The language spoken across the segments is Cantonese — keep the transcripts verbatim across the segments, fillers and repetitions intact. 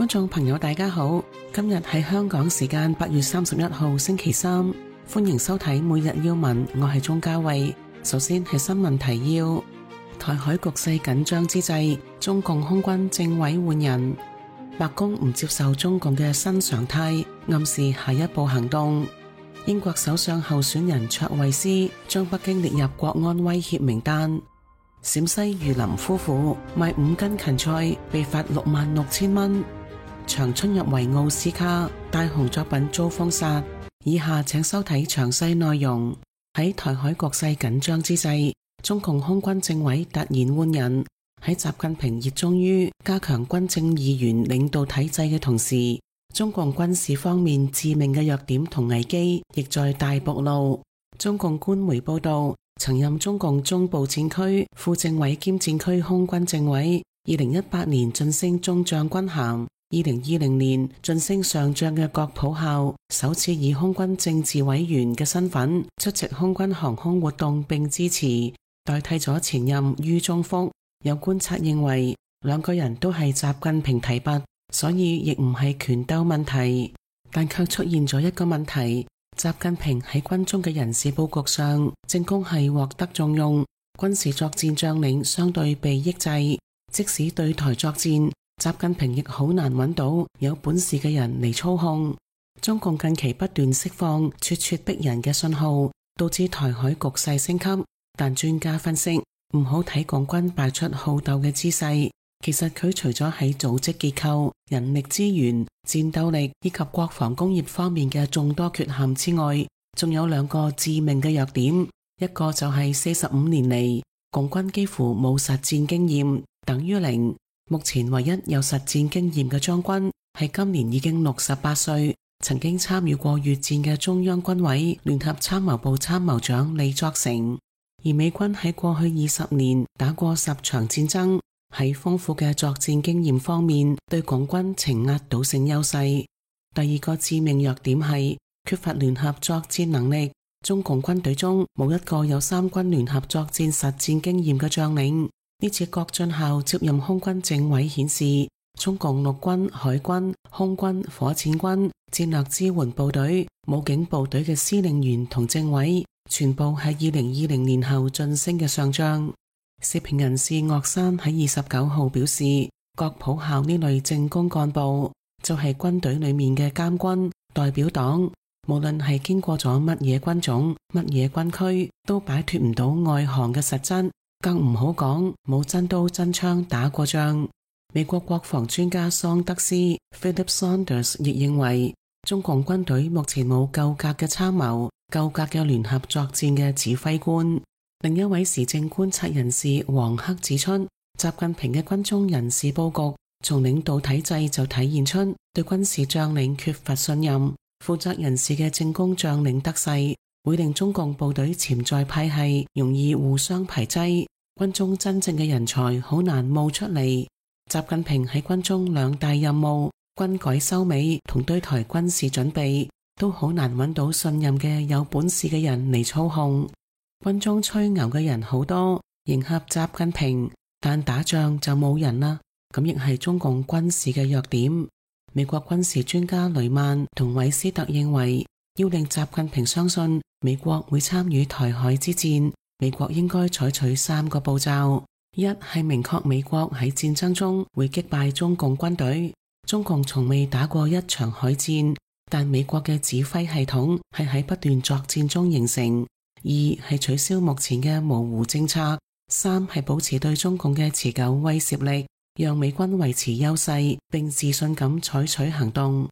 觀眾朋友大家好，今日係香港時間八月三十一號星期三，歡迎收睇每日要聞，我係鍾嘉慧。首先係新聞提要：台海局勢緊張之際，中共空軍政委換人，白宮唔接受中共嘅新常態，暗示下一步行動。英國首相候選人卓慧思將北京列入國安威脅名單。陝西榆林夫婦賣五斤芹菜被罰六萬六千蚊。長春入圍奧斯卡，大紅作品遭封殺。以下請收睇詳細內容。喺台海局勢緊張之際，中共空軍政委突然換人。喺習近平熱衷於加強軍政二元領導體制嘅同時，中共軍事方面致命嘅弱點同危機亦在大暴露。中共官媒報道，曾任中共中部戰區副政委兼戰區空軍政委，二零一八年晉升中將軍銜。二零二零年晉升上將嘅郭普孝，首次以空軍政治委員嘅身份出席空軍航空活動並支持，代替咗前任于宗福。有觀察認為，兩個人都係習近平提拔，所以亦唔係權鬥問題，但卻出現咗一個問題：習近平喺軍中嘅人事佈局上，政工係獲得重用，軍事作戰將領相對被抑制，即使對台作戰，習近平亦好難揾到有本事嘅人嚟操控。中共近期不斷釋放咄咄逼人嘅信號，導致台海局勢升級。但專家分析，唔好睇共軍擺出好鬥嘅姿勢，其實佢除咗喺組織結構、人力資源、戰鬥力以及國防工業方面嘅眾多缺陷之外，仲有兩個致命嘅弱點。一個就係四十五年嚟，共軍幾乎冇實戰經驗，等於零。目前唯一有實戰經驗嘅將軍係今年已經六十八歲，曾經參與過越戰嘅中央軍委聯合參謀部參謀長李作成。而美軍喺過去二十年打過十場戰爭，喺豐富嘅作戰經驗方面對共軍呈壓倒性優勢。第二個致命弱點係缺乏聯合作戰能力，中共軍隊中冇一個有三軍聯合作戰實戰經驗嘅將領。呢次郭俊孝接任空軍政委顯示，中共陸軍、海軍、空軍、火箭軍、戰略支援部隊、武警部隊嘅司令員同政委全部係二零二零年後晉升嘅上將。時評人士岳山喺二十九號表示，郭普孝呢類政工幹部就係軍隊裏面嘅監軍代表黨，無論係經過咗乜嘢軍種、乜嘢軍區，都擺脫唔到外行嘅實質。更唔好講冇真刀真槍打過仗。美國國防專家桑德斯 Philip Saunders 亦認為，中共軍隊目前冇夠格嘅參謀、夠格嘅聯合作戰嘅指揮官。另一位時政觀察人士黃克指出，習近平嘅軍中人事佈局從領導體制就體現出對軍事將領缺乏信任，負責人士嘅政工將領得勢，會令中共部隊潛在派系容易互相排擠。軍中真正嘅人才好難冒出嚟。習近平喺軍中兩大任務，軍改收尾同對台軍事準備，都好難揾到信任嘅有本事嘅人嚟操控。軍中吹牛嘅人好多，迎合習近平，但打仗就冇人啦。咁亦係中共軍事嘅弱點。美國軍事專家雷曼同韋斯特認為，要令習近平相信美國會參與台海之戰，美國應該採取三個步驟：一係明確美國喺戰爭中會擊敗中共軍隊，中共從未打過一場海戰，但美國嘅指揮系統係喺不斷作戰中形成；二係取消目前嘅模糊政策；三係保持對中共嘅持久威懾力，讓美軍維持優勢並自信咁採取行動。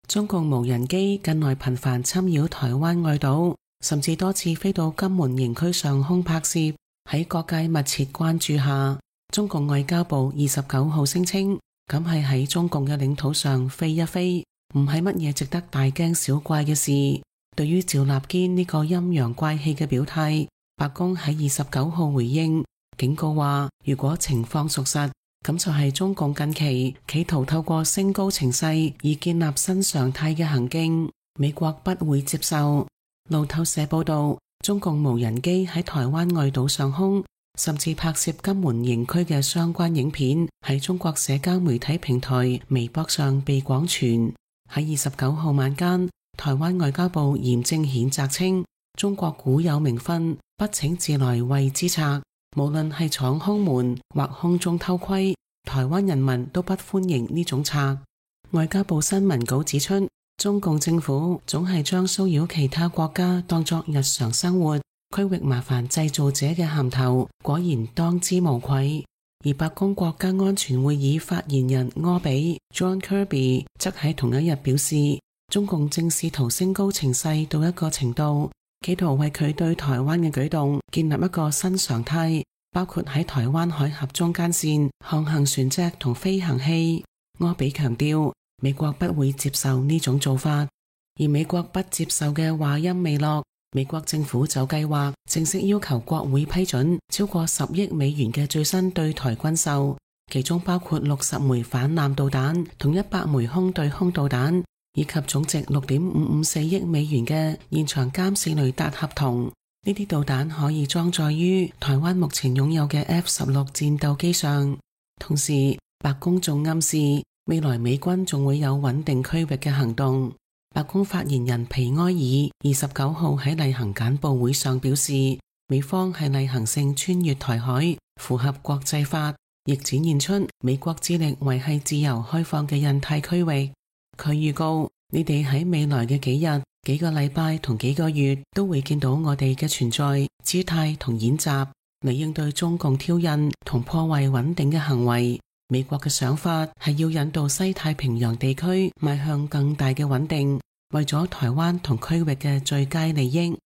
中共無人機近來頻繁侵擾台灣外島，甚至多次飛到金門營區上空拍攝。喺各界密切關注下，中共外交部二十九號聲稱，咁係喺中共嘅領土上飛一飛，唔係乜嘢值得大驚小怪嘅事。對於趙立堅呢個陰陽怪氣嘅表態，白宮喺二十九號回應，警告話，如果情況屬實，咁就係中共近期企圖透過升高情勢以建立新常態嘅行徑，美國不會接受。路透社報道，中共無人機喺台灣外島上空甚至拍攝金門營區嘅相關影片喺中國社交媒體平台微博上被廣傳。喺二十九號晚間，台灣外交部嚴正譴責稱，中國古有明訓，不請自來為之賊，無論係闖空門或空中偷窺，台灣人民都不歡迎呢種賊。外交部新聞稿指出，中共政府總係將騷擾其他國家當作日常生活、區域麻煩製造者嘅銜頭，果然當之無愧。而白宮國家安全會議發言人柯比 John Kirby 則喺同一日表示，中共正試圖升高情勢到一個程度，企圖為佢對台灣嘅舉動建立一個新常態，包括喺台灣海峽中間線航行船隻同飛行器。柯比強調，美國不會接受呢種做法，而美國不接受嘅話音未落，美國政府就計劃正式要求國會批准超過十億美元嘅最新對台軍售，其中包括六十枚反艦導彈同一百枚空對空導彈，以及總值六點五五四億美元嘅現場監視雷達合同。呢啲導彈可以裝載於台灣目前擁有嘅 F 十六戰鬥機上。同時，白宮仲暗示未來美軍仲會有穩定區域嘅行動。白宮發言人皮埃爾二十九號喺例行簡報會上表示，美方係例行性穿越台海，符合國際法，亦展現出美國致力維繫自由開放嘅印太區域。佢預告，你哋喺未來嘅幾日、幾個禮拜同幾個月都會見到我哋嘅存在、姿態同演習，嚟應對中共挑釁同破壞穩定嘅行為。美國嘅想法係要引導西太平洋地區邁向更大嘅穩定，為咗台灣同區域嘅最佳利益。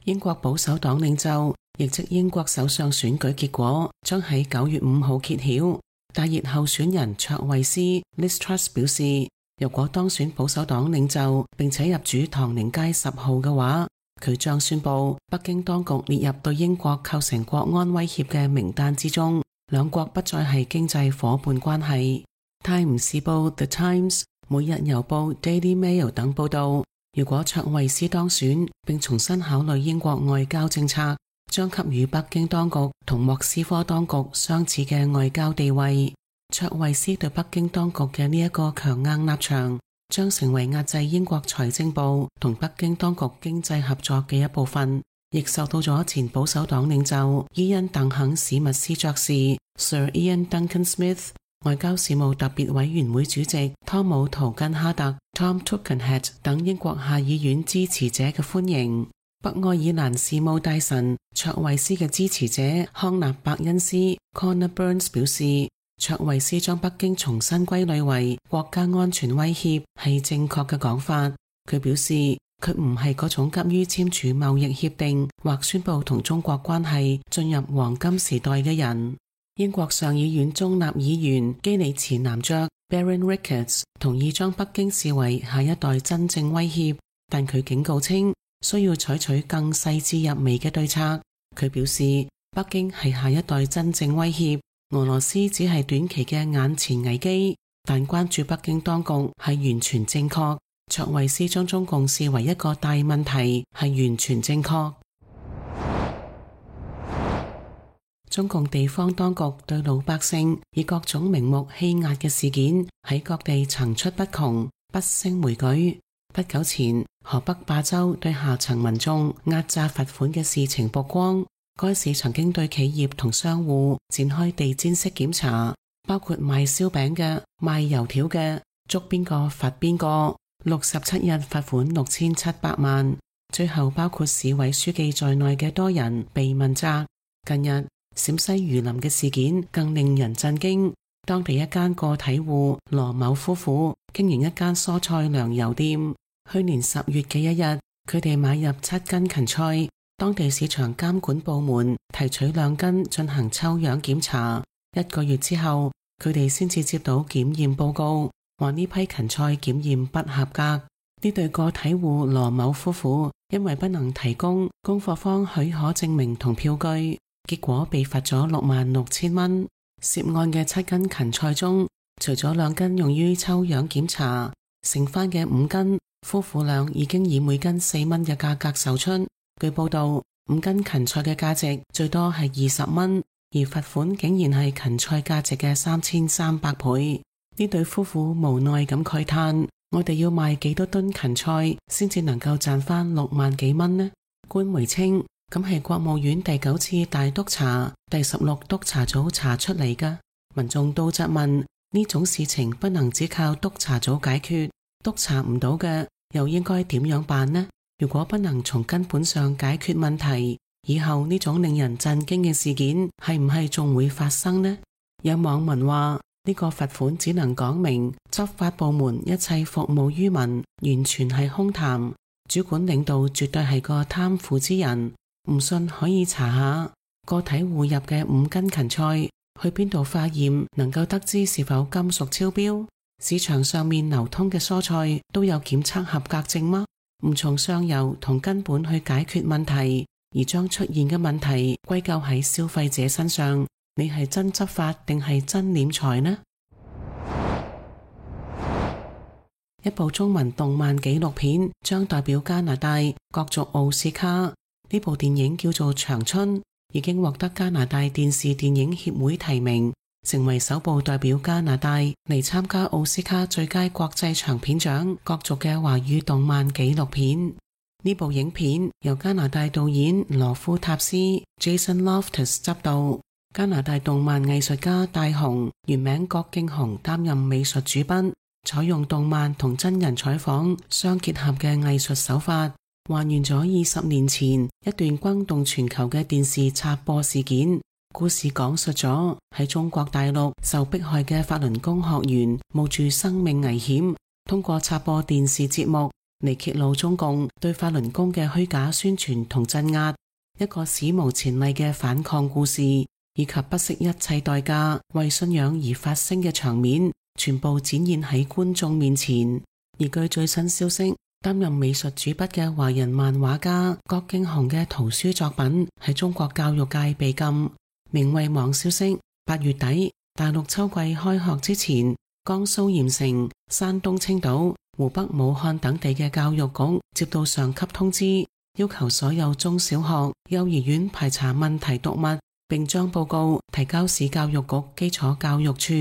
英國保守黨領袖，亦即英國首相選舉結果將喺九月五號揭曉。大熱候選人卓慧思 Liz Truss 表示，如果當選保守黨領袖並且入主唐寧街十號嘅話，佢將宣布北京當局列入對英國構成國安威脅嘅名單之中，兩國不再係經濟夥伴關係。泰晤士報 The Times、每日郵報 Daily Mail 等報道，如果卓慧思當選並重新考慮英國外交政策，將給予北京當局同莫斯科當局相似嘅外交地位。卓慧思對北京當局嘅呢一個強硬立場，將成為壓制英國財政部同北京當局經濟合作嘅一部分，亦受到咗前保守黨領袖伊恩·鄧肯史密斯爵士 Sir Ian Duncan Smith、外交事務特別委員會主席湯姆·圖根哈特 Tom Tugendhat 等英國下議院支持者嘅歡迎。北愛爾蘭事務大臣卓慧思嘅支持者康納伯恩斯 Conor Burns 表示，卓慧思將北京重新歸類為國家安全威脅係正確嘅講法。佢表示，佢唔係嗰種急於簽署貿易協定或宣布同中國關係進入黃金時代嘅人。英國上議院中立議員基里茨男爵 Baron Ricketts 同意將北京視為下一代真正威脅，但佢警告稱需要採取更細緻入微嘅對策。佢表示，北京係下一代真正威脅，俄羅斯只係短期嘅眼前危機，但關注北京當局係完全正確。卓慧思將中共視為一個大問題係完全正確。中共地方當局對老百姓以各種名目欺壓嘅事件喺各地層出不窮，不勝枚舉。不久前，河北霸州對下層民眾壓榨罰款嘅事情曝光，該市曾經對企業同商戶展開地毯式檢查，包括賣燒餅嘅、賣油條嘅，捉邊個罰邊個。六十七日罰款六千七百萬，最後包括市委書記在內嘅多人被問責。近日，陝西榆林嘅事件更令人震驚，當地一間個體戶羅某夫婦經營一間蔬菜糧油店。去年十月嘅一日，佢哋買入七斤芹菜，當地市場監管部門提取兩斤進行抽樣檢查。一個月之後，佢哋先至接到檢驗報告，話呢批芹菜檢驗不合格。呢對個體戶羅某夫婦因為不能提供供貨方許可證明同票據，結果被罰咗六萬六千蚊。涉案嘅七斤芹菜中，除咗兩斤用於抽樣檢查，剩翻嘅五斤，夫婦倆已經以每斤四蚊嘅價格售出。據報道，五斤芹菜嘅價值最多係二十蚊，而罰款竟然係芹菜價值嘅三千三百倍。呢對夫婦無奈咁慨嘆：我哋要賣幾多噸芹菜先至能夠賺翻六萬幾蚊呢？官媒稱，咁係國務院第九次大督查第十六督查組查出嚟㗎。民眾都質問，呢種事情不能只靠督查組解決，督查唔到嘅又應該點樣辦呢？如果不能從根本上解決問題，以後呢種令人震驚嘅事件係唔係仲會發生呢？有網民話，呢個罰款只能講明執法部門一切服務於民，完全係空談。主管領導絕對係個貪腐之人，唔信可以查下個體戶入嘅五斤芹菜去邊度化驗，能夠得知是否金屬超標。市場上面流通嘅蔬菜都有檢測合格證嗎？唔從上游同根本去解決問題，而將出現嘅問題歸咎喺消費者身上，你係真執法定係真斂財呢？一部中文動漫紀錄片將代表加拿大角逐奧斯卡。呢部電影叫做《長春》，已經獲得加拿大電視電影協會提名，成為首部代表加拿大嚟參加奧斯卡最佳國際長片獎角逐嘅華語動漫紀錄片。呢部影片由加拿大導演羅夫塔斯 Jason Loftus 執導，加拿大動漫藝術家大雄原名郭敬雄擔任美術主筆，採用動漫同真人採訪相結合嘅藝術手法，還原咗二十年前一段轟動全球嘅電視插播事件。故事講述咗喺中國大陸受迫害嘅法輪功學員冒住生命危險，通過插播電視節目嚟揭露中共對法輪功嘅虛假宣傳同鎮壓，一個史無前例嘅反抗故事，以及不惜一切代價為信仰而發聲嘅場面，全部展現喺觀眾面前。而據最新消息，擔任美術主筆嘅華人漫畫家郭敬雄嘅圖書作品喺中國教育界被禁。明慧網消息，八月底大陸秋季開學之前，江蘇鹽城、山東青島、湖北武漢等地嘅教育局接到上級通知，要求所有中小學、幼兒園排查問題讀物，並將報告提交市教育局基礎教育處。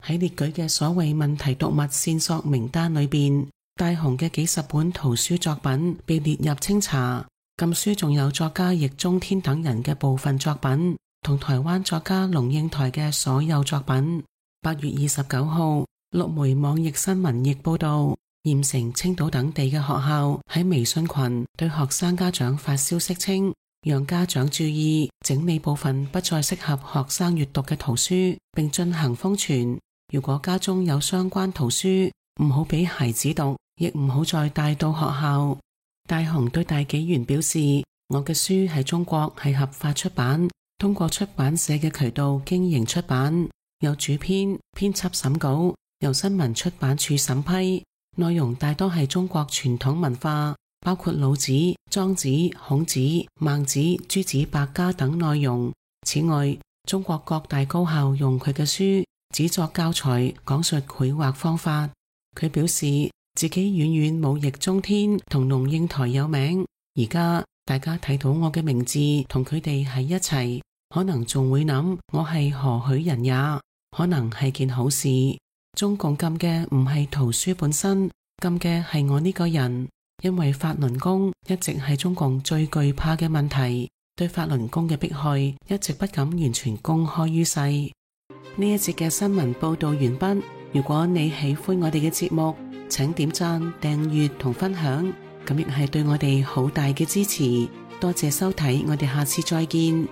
喺列舉嘅所謂問題讀物線索名單裏邊，大雄嘅幾十本圖書作品被列入清查。禁書仲有作家易中天等人嘅部分作品，同台灣作家龍應台嘅所有作品。八月二十九號，陸媒網易新聞亦報道，鹽城、青島等地嘅學校喺微信群對學生家長發消息稱，讓家長注意整理部分不再適合學生閱讀嘅圖書，並進行封存。如果家中有相關圖書，唔好俾孩子讀，亦唔好再帶到學校。大雄對大紀元表示，我嘅書喺中國係合法出版，通過出版社嘅渠道經營出版，有主編、編輯審稿，由新聞出版處審批，內容大多係中國傳統文化，包括老子、莊子、孔子、孟子、諸子百家等內容。此外，中國各大高校用佢嘅書只作教材，講述繪畫方法。佢表示自己遠遠冇易中天同龍應台有名，而家大家睇到我嘅名字同佢哋喺一齊，可能仲會諗我係何許人也，可能係件好事。中共禁嘅唔係圖書本身，禁嘅係我呢個人，因為法輪功一直係中共最懼怕嘅問題，對法輪功嘅迫害一直不敢完全公開於世。呢一節嘅新聞報道完畢。如果你喜歡我哋嘅節目，請點讚、訂閱同分享，咁亦係對我哋好大嘅支持。多謝收睇，我哋下次再見。